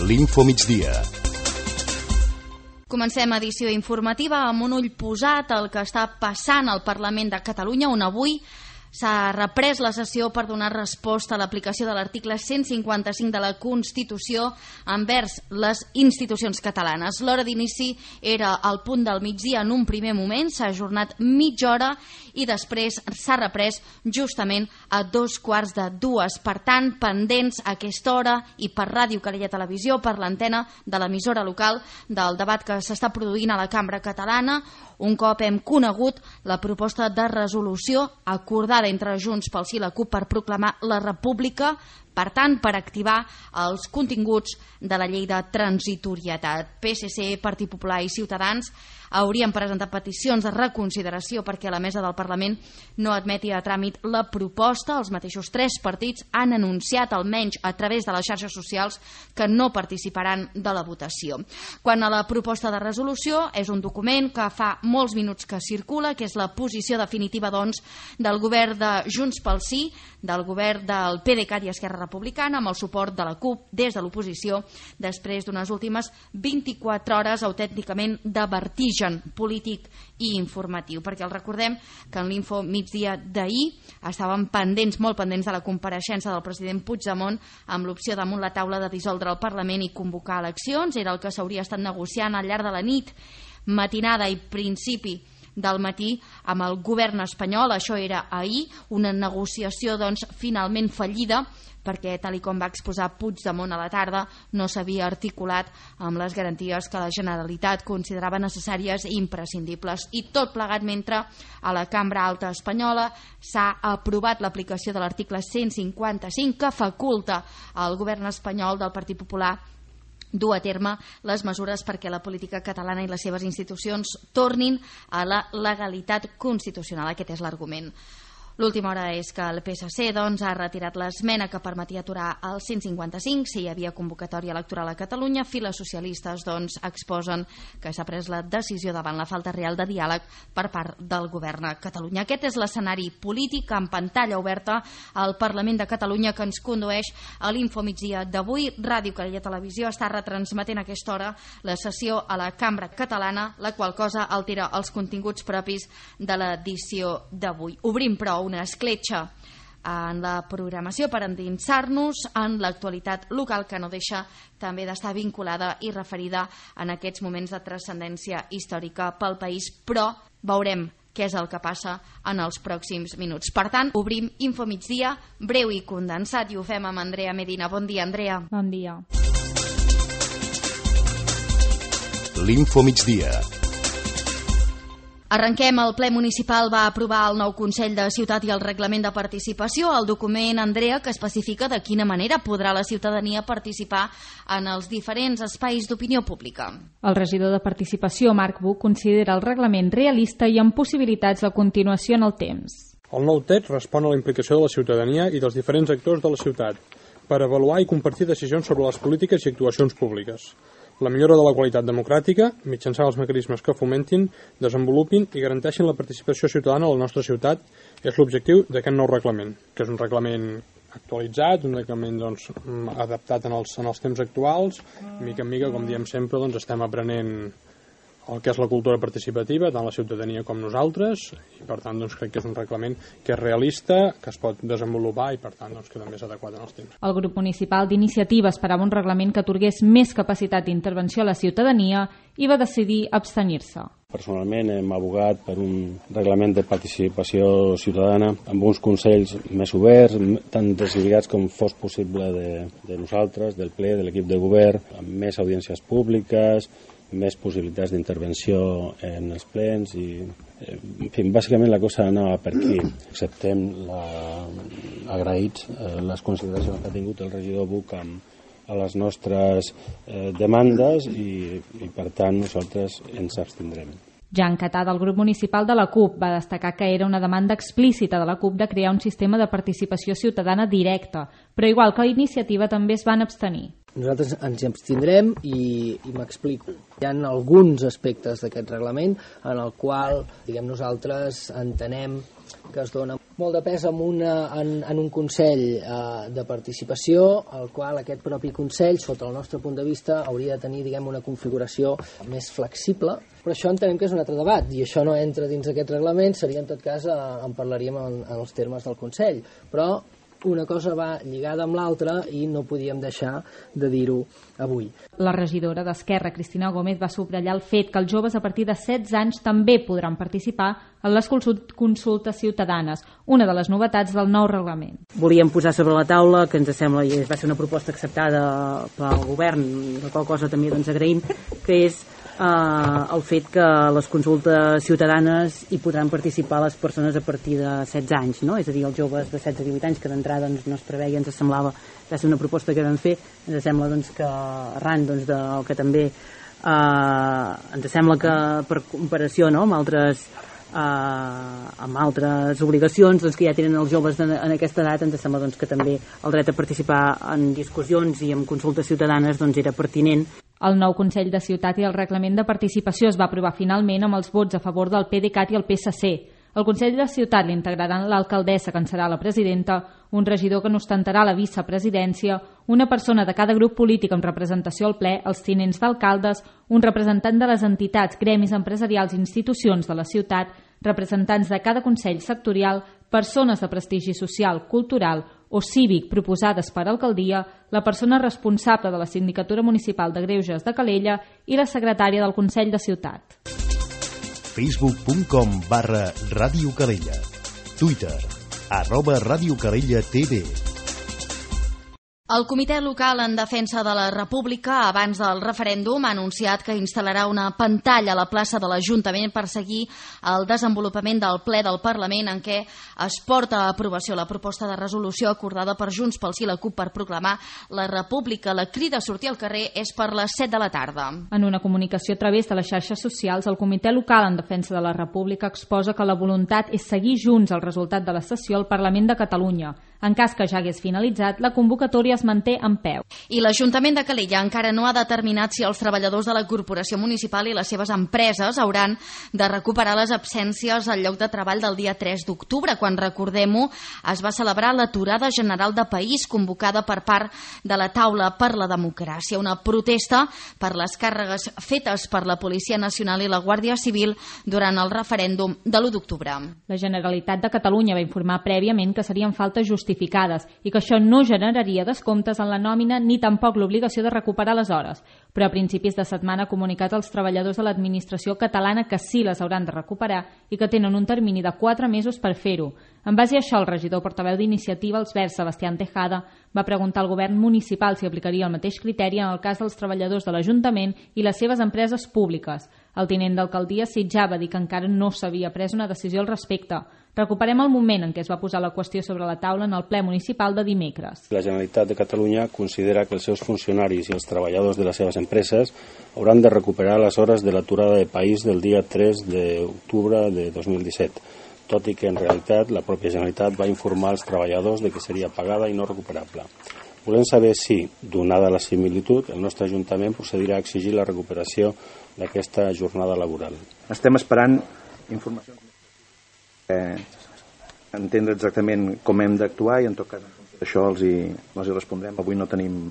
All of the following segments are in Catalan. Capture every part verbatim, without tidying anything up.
L'Info Migdia. Comencem edició informativa amb un ull posat al que està passant al Parlament de Catalunya, on avui s'ha reprès la sessió per donar resposta a l'aplicació de l'article cent cinquanta-cinc de la Constitució envers les institucions catalanes. L'hora d'inici era al punt del migdia en un primer moment, s'ha ajornat mitja hora i després s'ha reprès justament a dos quarts de dues. Per tant, pendents a aquesta hora i per Ràdio Calella Televisió, per l'antena de l'emissora local, del debat que s'està produint a la Cambra Catalana, un cop hem conegut la proposta de resolució acordada entre Junts pel Sí i la CUP per proclamar la República, per tant, per activar els continguts de la llei de transitorietat. P S C, Partit Popular i Ciutadans haurien presentat peticions de reconsideració perquè la mesa del Parlament no admeti a tràmit la proposta. Els mateixos tres partits han anunciat, almenys a través de les xarxes socials, que no participaran de la votació. Quant a la proposta de resolució, és un document que fa molts minuts que circula, que és la posició definitiva, doncs, del govern de Junts pel Sí, del govern del P D C A t i Esquerra Republicana, amb el suport de la CUP des de l'oposició, després d'unes últimes vint-i-quatre hores autènticament de vertigen polític i informatiu, perquè el recordem que en l'Info Migdia d'ahir estàvem pendents, molt pendents de la compareixença del president Puigdemont amb l'opció damunt la taula de dissoldre el Parlament i convocar eleccions. Era el que s'hauria estat negociant al llarg de la nit, matinada i principi del matí amb el govern espanyol. Això era ahir, una negociació doncs finalment fallida, perquè tal i com va exposar Puigdemont a la tarda no s'havia articulat amb les garanties que la Generalitat considerava necessàries i imprescindibles. I tot plegat mentre a la Cambra Alta espanyola s'ha aprovat l'aplicació de l'article cent cinquanta-cinc que faculta al govern espanyol del Partit Popular dur a terme les mesures perquè la política catalana i les seves institucions tornin a la legalitat constitucional. Aquest és l'argument. L'última hora és que el P S C doncs, ha retirat l'esmena que permetia aturar el cent cinquanta-cinc si hi havia convocatòria electoral a Catalunya. Files socialistes doncs, exposen que s'ha pres la decisió davant la falta real de diàleg per part del govern a Catalunya. Aquest és l'escenari polític en pantalla oberta al Parlament de Catalunya que ens condueix a l'Info Migdia d'avui. Ràdio Calella Televisió està retransmetent a aquesta hora la sessió a la Cambra Catalana, la qual cosa altera els continguts propis de l'edició d'avui. Obrim, però, una escletxa en la programació per endinsar-nos en l'actualitat local que no deixa també d'estar vinculada i referida en aquests moments de transcendència històrica pel país, però veurem què és el que passa en els pròxims minuts. Per tant, obrim Info Migdia, breu i condensat, i ho fem amb Andrea Medina. Bon dia, Andrea. Bon dia. L'Info Migdia. Arrenquem. El ple municipal va aprovar el nou Consell de Ciutat i el reglament de participació. El document, Andrea, que especifica de quina manera podrà la ciutadania participar en els diferents espais d'opinió pública. El regidor de Participació, Marc Buch, considera el reglament realista i amb possibilitats de continuació en el temps. El nou text respon a la implicació de la ciutadania i dels diferents actors de la ciutat per avaluar i compartir decisions sobre les polítiques i actuacions públiques. La millora de la qualitat democràtica, mitjançant els mecanismes que fomentin, desenvolupin i garanteixin la participació ciutadana a la nostra ciutat, és l'objectiu d'aquest nou reglament, que és un reglament actualitzat, un reglament doncs, adaptat en els, en els temps actuals. Mica en mica, com diem sempre, doncs, estem aprenent el que és la cultura participativa, tant la ciutadania com nosaltres, i per tant doncs, crec que és un reglament que és realista, que es pot desenvolupar i per tant doncs, que també és adequat en els temps. El grup municipal d'Iniciativa esperava un reglament que atorgués més capacitat d'intervenció a la ciutadania i va decidir abstenir-se. Personalment hem abogat per un reglament de participació ciutadana amb uns consells més oberts, tan deslligats com fos possible de, de nosaltres, del ple, de l'equip de govern, amb més audiències públiques, més possibilitats d'intervenció en els plens i, en fi, bàsicament la cosa anava per aquí. Acceptem la, agraïts eh, les consideracions que ha tingut el regidor Buch a les nostres eh, demandes i, i per tant nosaltres ens abstindrem. Jan Catà, del grup municipal de la CUP, va destacar que era una demanda explícita de la CUP de crear un sistema de participació ciutadana directa, però igual que la Iniciativa també es van abstenir. Nosaltres ens hi abstindrem i, i m'explico. Hi ha alguns aspectes d'aquest reglament en el qual, diguem, nosaltres entenem que es dona molt de pes en, una, en, en un Consell eh, de participació, el qual aquest propi Consell, sota el nostre punt de vista, hauria de tenir, diguem, una configuració més flexible, però això entenem que és un altre debat, i això no entra dins aquest reglament, seria en tot cas, eh, en parlaríem en, en els termes del Consell, però una cosa va lligada amb l'altra i no podíem deixar de dir-ho avui. La regidora d'Esquerra, Cristina Gómez, va subratllar el fet que els joves a partir de setze anys també podran participar en les consultes ciutadanes, una de les novetats del nou reglament. Volíem posar sobre la taula, que ens sembla, i va ser una proposta acceptada pel govern, la qual cosa també doncs, agraïm, que és Uh, el fet que les consultes ciutadanes hi podran participar les persones a partir de setze anys, no? És a dir, els joves de setze a divuit anys que d'entrada doncs, no es preveia, ens semblava, va ser una proposta que vam fer, ens sembla doncs, que arran doncs, del que també uh, ens sembla que per comparació no, amb altres uh, amb altres obligacions doncs, que ja tenen els joves en, en aquesta edat, ens sembla doncs, que també el dret a participar en discussions i en consultes ciutadanes doncs, era pertinent. El nou Consell de Ciutat i el reglament de participació es va aprovar finalment amb els vots a favor del PDeCAT i el P S C. El Consell de Ciutat l'integraran l'alcaldessa, que en serà la presidenta, un regidor que n'ostentarà la vicepresidència, una persona de cada grup polític amb representació al ple, els tinents d'alcaldes, un representant de les entitats, gremis empresarials i institucions de la ciutat, representants de cada consell sectorial, persones de prestigi social, cultural o cívic proposades per alcaldia, la persona responsable de la Sindicatura Municipal de Greuges de Calella i la secretària del Consell de Ciutat. facebook punt com barra Ràdio Calella. Twitter, arroba Ràdio Calella T V. El Comitè Local en Defensa de la República, abans del referèndum, ha anunciat que instal·larà una pantalla a la plaça de l'Ajuntament per seguir el desenvolupament del ple del Parlament en què es porta a aprovació la proposta de resolució acordada per Junts pel Sí i la CUP per proclamar la República. La crida a sortir al carrer és per les set de la tarda. En una comunicació a través de les xarxes socials, el Comitè Local en Defensa de la República exposa que la voluntat és seguir junts el resultat de la sessió al Parlament de Catalunya. En cas que ja hagués finalitzat, la convocatòria es manté en peu. I l'Ajuntament de Calella encara no ha determinat si els treballadors de la Corporació Municipal i les seves empreses hauran de recuperar les absències al lloc de treball del dia tres d'octubre, quan, recordem-ho, es va celebrar l'aturada general de país convocada per part de la Taula per la Democràcia, una protesta per les càrregues fetes per la Policia Nacional i la Guàrdia Civil durant el referèndum de l'u d'octubre. La Generalitat de Catalunya va informar prèviament que serien faltes justificades i que això no generaria descomptes en la nòmina ni tampoc l'obligació de recuperar les hores, però a principis de setmana ha comunicat als treballadors de l'administració catalana que sí les hauran de recuperar i que tenen un termini de quatre mesos per fer-ho. En base a això, el regidor portaveu d'Iniciativa, els Verds, Sebastián Tejada, va preguntar al govern municipal si aplicaria el mateix criteri en el cas dels treballadors de l'Ajuntament i les seves empreses públiques. El tinent d'alcaldia Sitjar va dir que encara no s'havia pres una decisió al respecte. Recuperem el moment en què es va posar la qüestió sobre la taula en el ple municipal de dimecres. La Generalitat de Catalunya considera que els seus funcionaris i els treballadors de les seves empreses hauran de recuperar les hores de l'aturada de país del dia tres d'octubre de dos mil disset, tot i que en realitat la pròpia Generalitat va informar als treballadors de que seria pagada i no recuperable. Volem saber si, donada la similitud, el nostre Ajuntament procedirà a exigir la recuperació d'aquesta jornada laboral. Estem esperant informacions eh, entendre exactament com hem d'actuar i en tot cas això els hi, els hi respondrem. Avui no tenim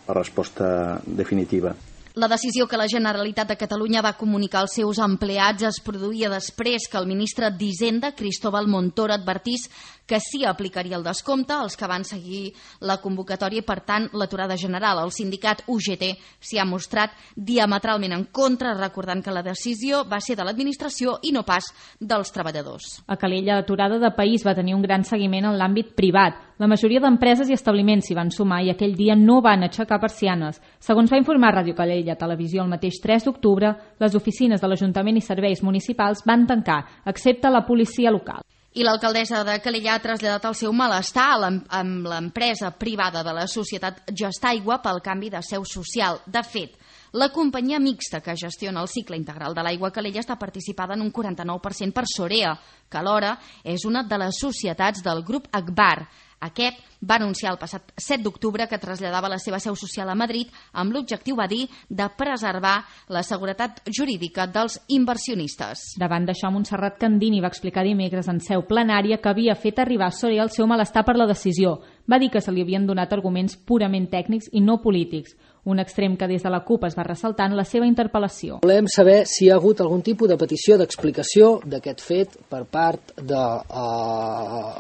la resposta definitiva. La decisió que la Generalitat de Catalunya va comunicar als seus empleats es produïa després que el ministre d'Hisenda, Cristóbal Montoro, advertís que sí aplicaria el descompte als que van seguir la convocatòria i, per tant, l'aturada general. El sindicat U G T s'hi ha mostrat diametralment en contra, recordant que la decisió va ser de l'administració i no pas dels treballadors. A Calella, l'aturada de país va tenir un gran seguiment en l'àmbit privat. La majoria d'empreses i establiments s'hi van sumar i aquell dia no van aixecar persianes. Segons va informar Ràdio Calella Televisió, el mateix tres d'octubre, les oficines de l'Ajuntament i serveis municipals van tancar, excepte la policia local. I l'alcaldessa de Calella ha traslladat el seu malestar amb l'empresa privada de la societat Gestaigua pel canvi de seu social. De fet, la companyia mixta que gestiona el cicle integral de l'aigua a Calella està participada en un quaranta-nou per cent per Sorea, que alhora és una de les societats del grup Agbar. Aquest va anunciar el passat set d'octubre que traslladava la seva seu social a Madrid amb l'objectiu, va dir, de preservar la seguretat jurídica dels inversionistes. Davant d'això, Montserrat Candini va explicar dimecres en seu plenària que havia fet arribar a Soria el seu malestar per la decisió. Va dir que se li havien donat arguments purament tècnics i no polítics, un extrem que des de la CUP es va ressaltar en la seva interpel·lació. Volem saber si hi ha hagut algun tipus de petició d'explicació d'aquest fet per part de uh,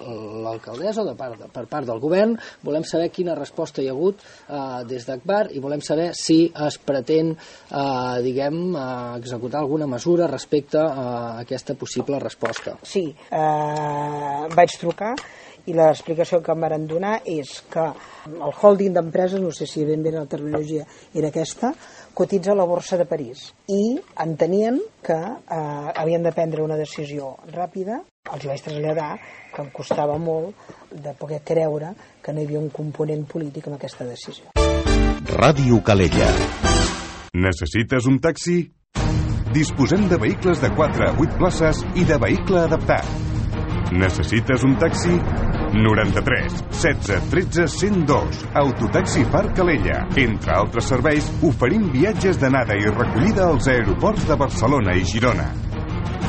l'alcaldessa o de part, per part del govern. Volem saber quina resposta hi ha hagut uh, des d'Agbar i volem saber si es pretén uh, diguem, uh, executar alguna mesura respecte a aquesta possible resposta. Sí, eh, vaig trucar i l'explicació que em van donar és que el holding d'empreses, no sé si ben bé la terminologia era aquesta, cotitza a la borsa de París i entenien que eh, havien de prendre una decisió ràpida. Els vaig traslladar que em costava molt de poder creure que no hi havia un component polític en aquesta decisió. Ràdio Calella. Necessites un taxi? Disposem de vehicles de quatre a vuit places i de vehicle adaptat. Necessites un taxi? noranta-tres setze tretze cent dos. Autotaxi Parc Calella. Entre altres serveis, oferim viatges d'anada i recollida als aeroports de Barcelona i Girona.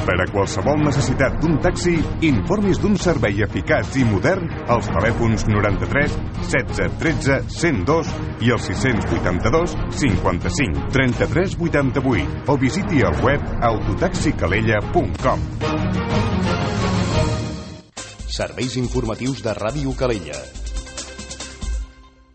Per a qualsevol necessitat d'un taxi, informis d'un servei eficaç i modern als telèfons noranta-tres setze tretze cent dos i el sis vuitanta-dos cinquanta-cinc trenta-tres vuitanta-vuit o visiti el web autotaxicalella punt com. Serveis informatius de Ràdio Calella.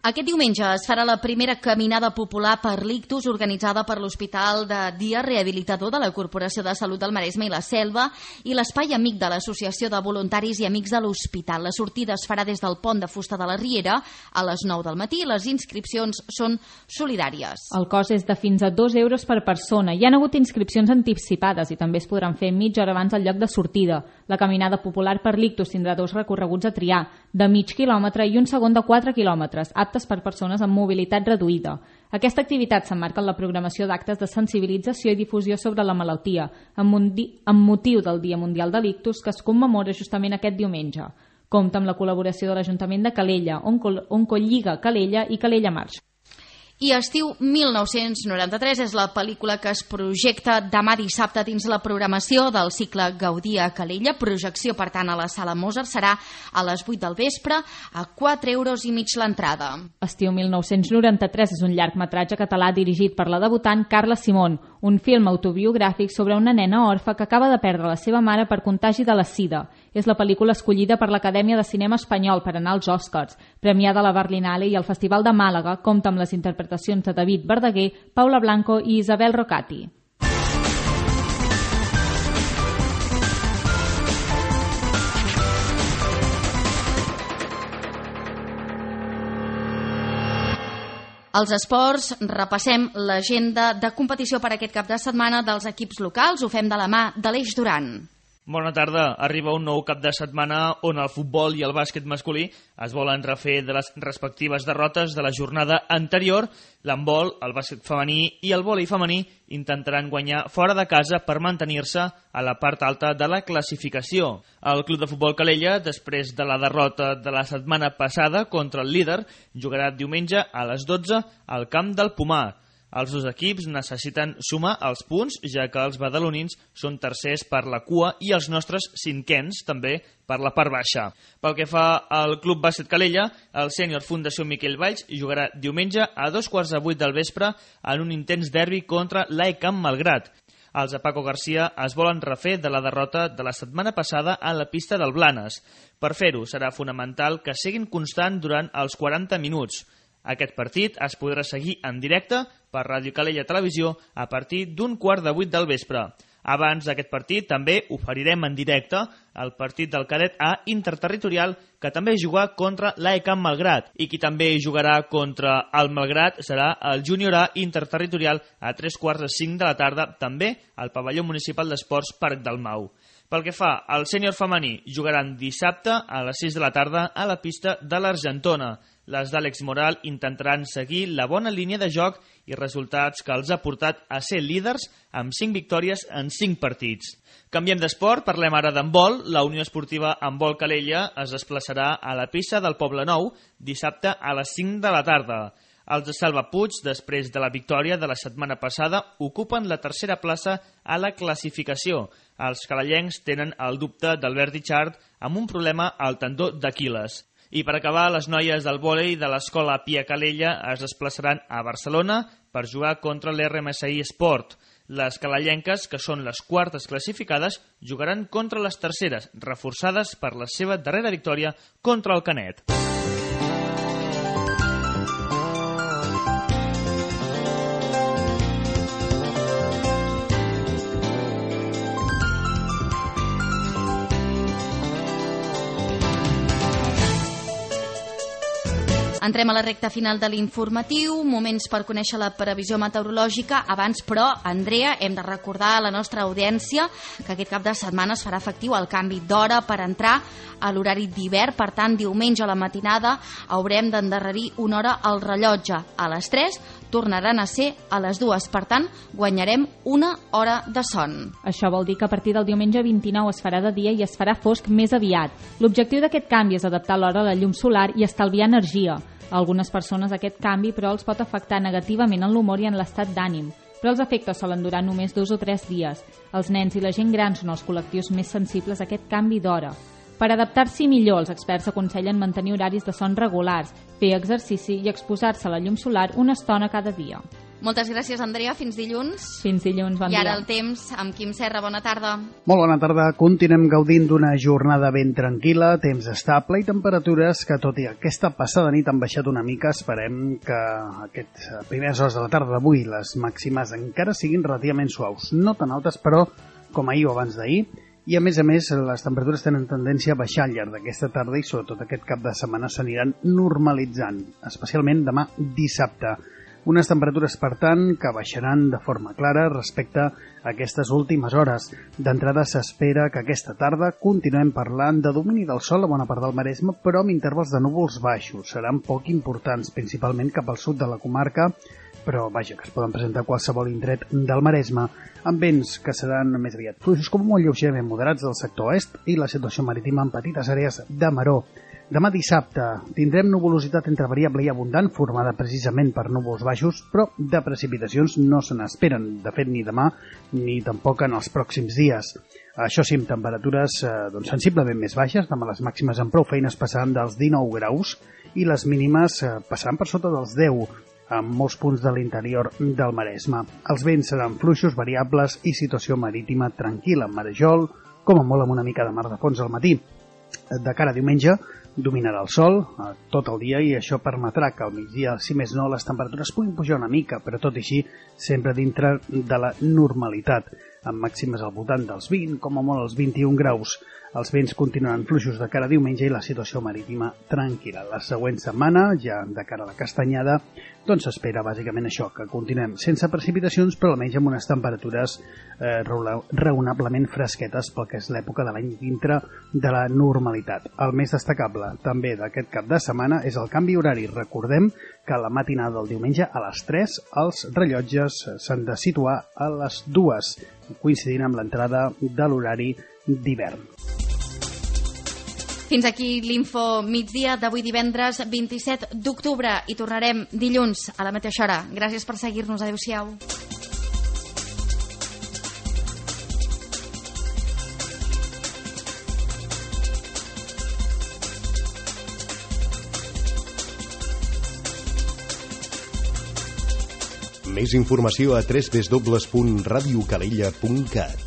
Aquest diumenge es farà la primera caminada popular per l'ictus organitzada per l'Hospital de Dia Rehabilitador de la Corporació de Salut del Maresme i la Selva i l'Espai Amic de l'Associació de Voluntaris i Amics de l'Hospital. La sortida es farà des del Pont de Fusta de la Riera a les nou del matí i les inscripcions són solidàries. El cost és de fins a dos euros per persona. Hi ha hagut inscripcions anticipades i també es podran fer mitja hora abans del lloc de sortida. La caminada popular per l'ictus tindrà dos recorreguts a triar, de mig quilòmetre i un segon de quatre quilòmetres, aptes per persones amb mobilitat reduïda. Aquesta activitat s'emmarca en la programació d'actes de sensibilització i difusió sobre la malaltia, amb motiu del Dia Mundial de l'Ictus, que es commemora justament aquest diumenge. Compta amb la col·laboració de l'Ajuntament de Calella, Oncolliga Calella i Calella Marx. I Estiu mil nou-cents noranta-tres és la pel·lícula que es projecta demà dissabte dins la programació del cicle Gaudí a Calella. Projecció, per tant, a la Sala Mozart serà a les vuit del vespre a quatre euros i mig l'entrada. Estiu mil nou-cents noranta-tres és un llargmetratge català dirigit per la debutant Carla Simón, un film autobiogràfic sobre una nena orfa que acaba de perdre la seva mare per contagi de la sida. És la pel·lícula escollida per l'Acadèmia de Cinema Espanyol per anar als Oscars, premiada a la Berlinale, i el Festival de Màlaga compta amb les interpretacions de David Verdaguer, Paula Blanco i Isabel Rocati. Als esports, repassem l'agenda de competició per aquest cap de setmana dels equips locals. Ho fem de la mà de l'Eix Duran. Bona tarda. Arriba un nou cap de setmana on el futbol i el bàsquet masculí es volen refer de les respectives derrotes de la jornada anterior. L'handbol, el bàsquet femení i el vòlei femení intentaran guanyar fora de casa per mantenir-se a la part alta de la classificació. El Club de Futbol Calella, després de la derrota de la setmana passada contra el líder, jugarà diumenge a les dotze al camp del Pomar. Els dos equips necessiten sumar els punts, ja que els badalonins són tercers per la cua i els nostres cinquens també per la part baixa. Pel que fa al Club Bàsquet Calella, el sènior Fundació Miquel Valls jugarà diumenge a dos quarts de vuit del vespre en un intens derbi contra l'A E Camp Malgrat. Els de Paco Garcia es volen refer de la derrota de la setmana passada a la pista del Blanes. Per fer-ho serà fonamental que siguin constant durant els quaranta minuts. Aquest partit es podrà seguir en directe per Ràdio Calella Televisió a partir d'un quart de vuit del vespre. Abans d'aquest partit també oferirem en directe el partit del cadet A interterritorial, que també jugarà contra l'A E Camp Malgrat, i qui també jugarà contra el Malgrat serà el júnior A interterritorial a tres quarts de cinc de la tarda, també al pavelló municipal d'esports Parc del Mau. Pel que fa al sènior femení, jugaran dissabte a les sis de la tarda a la pista de l'Argentona. Les d'Àlex Moral intentaran seguir la bona línia de joc i resultats que els ha portat a ser líders amb cinc victòries en cinc partits. Canviem d'esport, parlem ara d'handbol. La Unió Esportiva Handbol Calella es desplaçarà a la pista del Poblenou dissabte a les cinc de la tarda. Els de Salva Puig, després de la victòria de la setmana passada, ocupen la tercera plaça a la classificació. Els calellencs tenen el dubte d'Albert Richard amb un problema al tendó d'Aquil·les. I per acabar, les noies del vòlei de l'escola Pia Calella es desplaçaran a Barcelona per jugar contra l'R M S I Sport. Les calellenques, que són les quartes classificades, jugaran contra les terceres, reforçades per la seva darrera victòria contra el Canet. Entrem a la recta final de l'informatiu, moments per conèixer la previsió meteorològica. Abans, però, Andrea, hem de recordar a la nostra audiència que aquest cap de setmana es farà efectiu el canvi d'hora per entrar a l'horari d'hivern. Per tant, diumenge a la matinada haurem d'endarrerir una hora al rellotge. A les tres tornaran a ser a les dues. Per tant, guanyarem una hora de son. Això vol dir que a partir del diumenge vint-i-nou es farà de dia i es farà fosc més aviat. L'objectiu d'aquest canvi és adaptar l'hora a la llum solar i estalviar energia. A algunes persones aquest canvi, però, els pot afectar negativament en l'humor i en l'estat d'ànim. Però els efectes solen durar només dos o tres dies. Els nens i la gent gran són els col·lectius més sensibles a aquest canvi d'hora. Per adaptar-s'hi millor, els experts aconsellen mantenir horaris de son regulars, fer exercici i exposar-se a la llum solar una estona cada dia. Moltes gràcies, Andrea. Fins dilluns. Fins dilluns, bon dia. I ara el temps amb Quim Serra. Bona tarda. Molt bona tarda. Continuem gaudint d'una jornada ben tranquil·la, temps estable i temperatures que, tot i aquesta passada nit, han baixat una mica. Esperem que aquestes primeres hores de la tarda d'avui les màximes encara siguin relativament suaus. No tan altes, però, com ahir o abans d'ahir. I, a més a més, les temperatures tenen tendència a baixar al llarg d'aquesta tarda i, sobretot, aquest cap de setmana s'aniran normalitzant, especialment demà dissabte. Unes temperatures, per tant, que baixaran de forma clara respecte a aquestes últimes hores. D'entrada s'espera que aquesta tarda continuem parlant de domini del sol a bona part del Maresme, però amb intervals de núvols baixos. Seran poc importants, principalment cap al sud de la comarca, però vaja, que es poden presentar a qualsevol indret del Maresme, amb vents que seran més aviat fluixos com molt lleugerament moderats del sector oest i la situació marítima en petites àrees de maró. Demà dissabte tindrem nuvolositat entre variable i abundant, formada precisament per núvols baixos, però de precipitacions no se n'esperen, de fet, ni demà ni tampoc en els pròxims dies. Això sí, amb temperatures eh, doncs, sensiblement més baixes, demà les màximes amb prou feines passaran dels dinou graus i les mínimes eh, passaran per sota dels deu, en molts punts de l'interior del Maresme. Els vents seran fluixos, variables i situació marítima tranquil·la, amb marejol, com a molt amb una mica de mar de fons al matí. De cara a diumenge, dominarà el sol eh, tot el dia i això permetrà que al migdia, si més no, les temperatures puguin pujar una mica, però tot i així sempre dintre de la normalitat, amb màximes al voltant dels vint, com a molt els vint-i-un graus. Els vents continuaran fluixos de cara a diumenge i la situació marítima tranquil·la. La següent setmana, ja de cara a la castanyada, doncs s'espera bàsicament això, que continuem sense precipitacions, però almenys amb unes temperatures eh, raonablement fresquetes pel que és l'època de l'any dintre de la normalitat. El més destacable també d'aquest cap de setmana és el canvi horari. Recordem que la matinada del diumenge a les tres els rellotges s'han de situar a les dues, coincidint amb l'entrada de l'horari d'hivern. Fins aquí l'info migdia d'avui divendres vint-i-set d'octubre i tornarem dilluns a la mateixa hora. Gràcies per seguir-nos. Adéu-siau. Més informació a w w w punt radio calella punt cat.